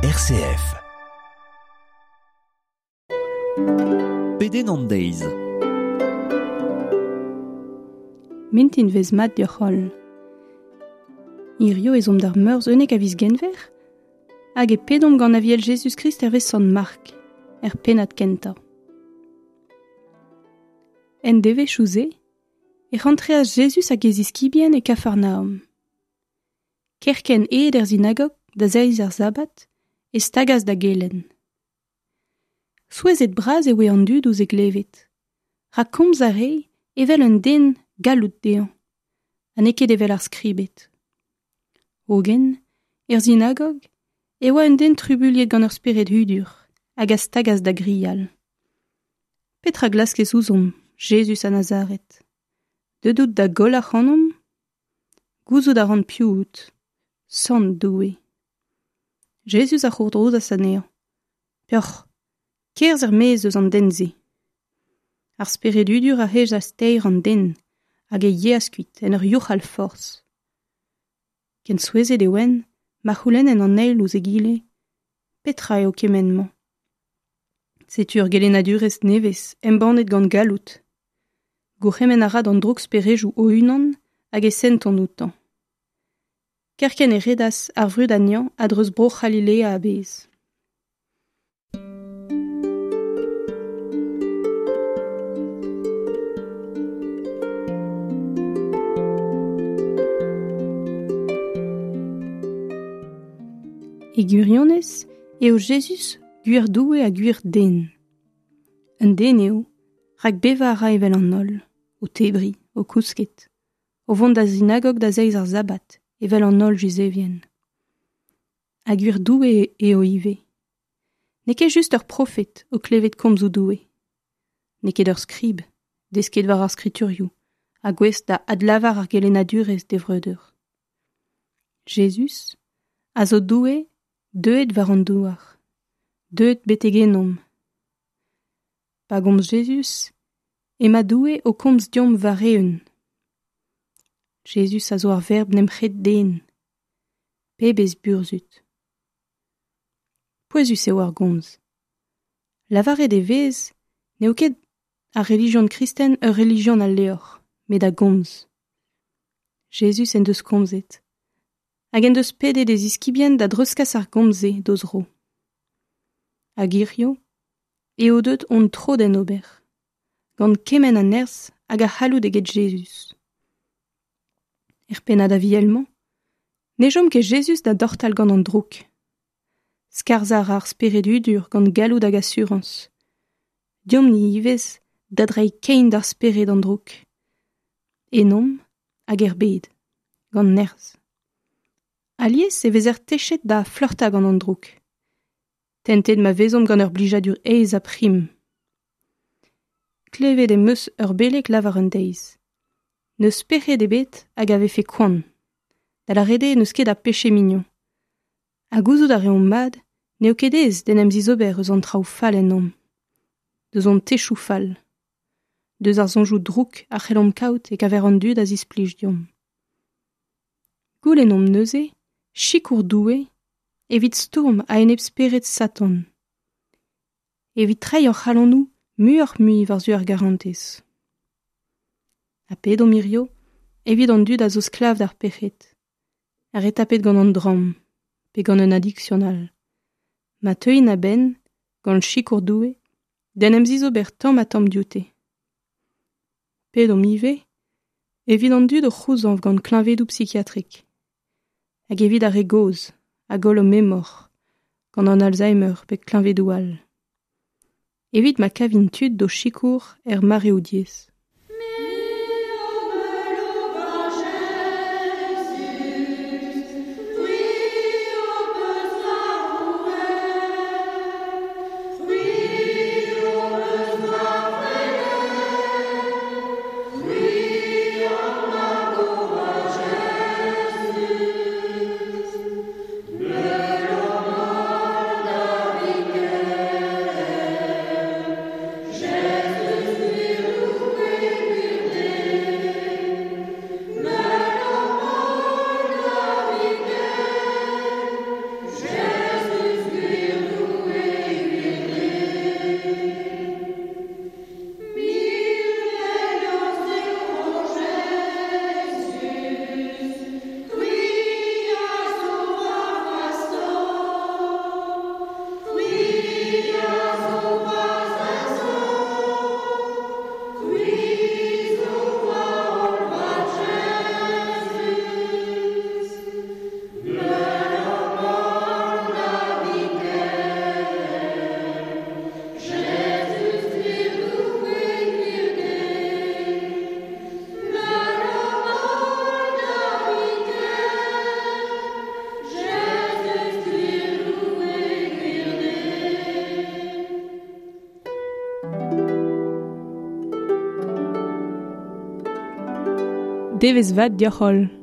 RCF. Pedenn an deiz. Mintinvezh mat deoc'h holl. Hirio ez omp d'ar meurzh 11 a viz Genver hag e pedomp gant Aviel Jezuz-Krist hervez Sant Mark, er pennad kentañ. En devezhioù-se e rantreas Jezuz hag e ziskibien e Kafarnaom. Kerkent aet er sinagog da zeiz ar sabbat e stagas da gelenn. Souezhet bras e oe an dud ouzh e glevet, rak komz a rae evel un den galloud dezhañ, ha n'eo ket evel ar skribed. Hogen, er sinagog e oa un den trubuilhet gant ur spered hudur hag a stagas da grial. Petra glaskez ouzhomp, Jezuz a Nazaret? Deuet out da goll ac'hanomp? Gouzout a ran piv out, Sant Doue. Jezuz a c'hourdrouzas anezhañ. Peoc'h, kerzh er-maez eus an den-se. Ar spered hudur a hejas teir an den hag e yeas kuit en ur youc'hal forzh. Ken souezhet e oant ma c'houlennent an eil ouzh egile petra eo kement-mañ. Setu ur gelennadurezh nevez embannet gant galloud. Gourc'hemenn a ra d'an drouksperejoù o-unan hag e sentont outañ. Kerkent e redas ar vrud anezhañ a-dreuz Bro-C'halilea a-bezh. E gwirionez eo Jezuz gwir Doue ha gwir den. Un den eo, rak bevañ a ra evel an holl, o tebriñ, o kousket, o vont da sinagog da zeiz ar sabbat, evel an holl Yuzevien. Ha gwir Doue eo ivez. N'eo ket just ur profed o klevet komzoù Doue. N'eo ket ur skrib, desket war ar skriturioù, ha gouest da adlavar ar gelennadurezh d'e vreudeur. Jezuz a zo Doue deuet war an douar, deuet betek ennomp. Pa gomz Jezuz, emañ Doue o komz deomp war-eeun. Jezuz a zo ar verb n'em c'hred den. Pebezh burzhud! Pouezus eo ar gomz. Lavaret e vez n'eo ket ar relijion kristen ur relijion a levr, met a gomz. Jezuz en deus komzet, hag en deus pedet e ziskibien da dreuzkas ar gomz-se d'o zro. Hag hiziv eo deuet hon tro d'en ober, gant kement a nerzh hag a c'halloud eget Jezuz. Er pennad aviel-mañ, ne chom ket Jezuz da dortal gant an droug. Skarzhañ a ra ar spered hudur gant galloud hag asurañs. Deomp-ni ivez da dreiñ kein d'ar spered an droug. Ennomp hag er bed, gant nerzh. Alies e vezer techet da fleurtañ gant an droug. Tentet ma vezomp gant ur blijadur aes ha prim. Klevet em eus ur beleg lavar un deiz. N'eus pec'hed ebet hag a vefe koant. Da lâret eo n'eus ket a peche mignon. Ha gouzout a reomp mat n'eo ket aes d'en em zizober eus an traoù fall ennomp. Deus hon techoù fall. Deus ar soñjoù drouk a c'hellomp kaout e-keñver an dud a zisplij deomp. Goulennomp neuze sikour Doue evit stourm a-enep spered Satan. Evit treiñ hor c'halonoù muioc'h-mui war-zu ar garantez. Ha pedomp hirio evit an dud a zo sklav d'ar pec'hed, ar re tapet gant an dramm pe gant un adiksion all. Ma teuint a-benn, gant sikour Doue, d'en em zizober tamm-ha-tamm dioute. Pedomp ivez evit an dud o c'houzañv gant kleñvedoù psikiatrik hag evit ar re gozh a goll o memor gant an Alzheimer pe kleñvedoù all. Evit ma kavint tud d'o sikour er mareoù diaes. Devezh vat deoc'h holl!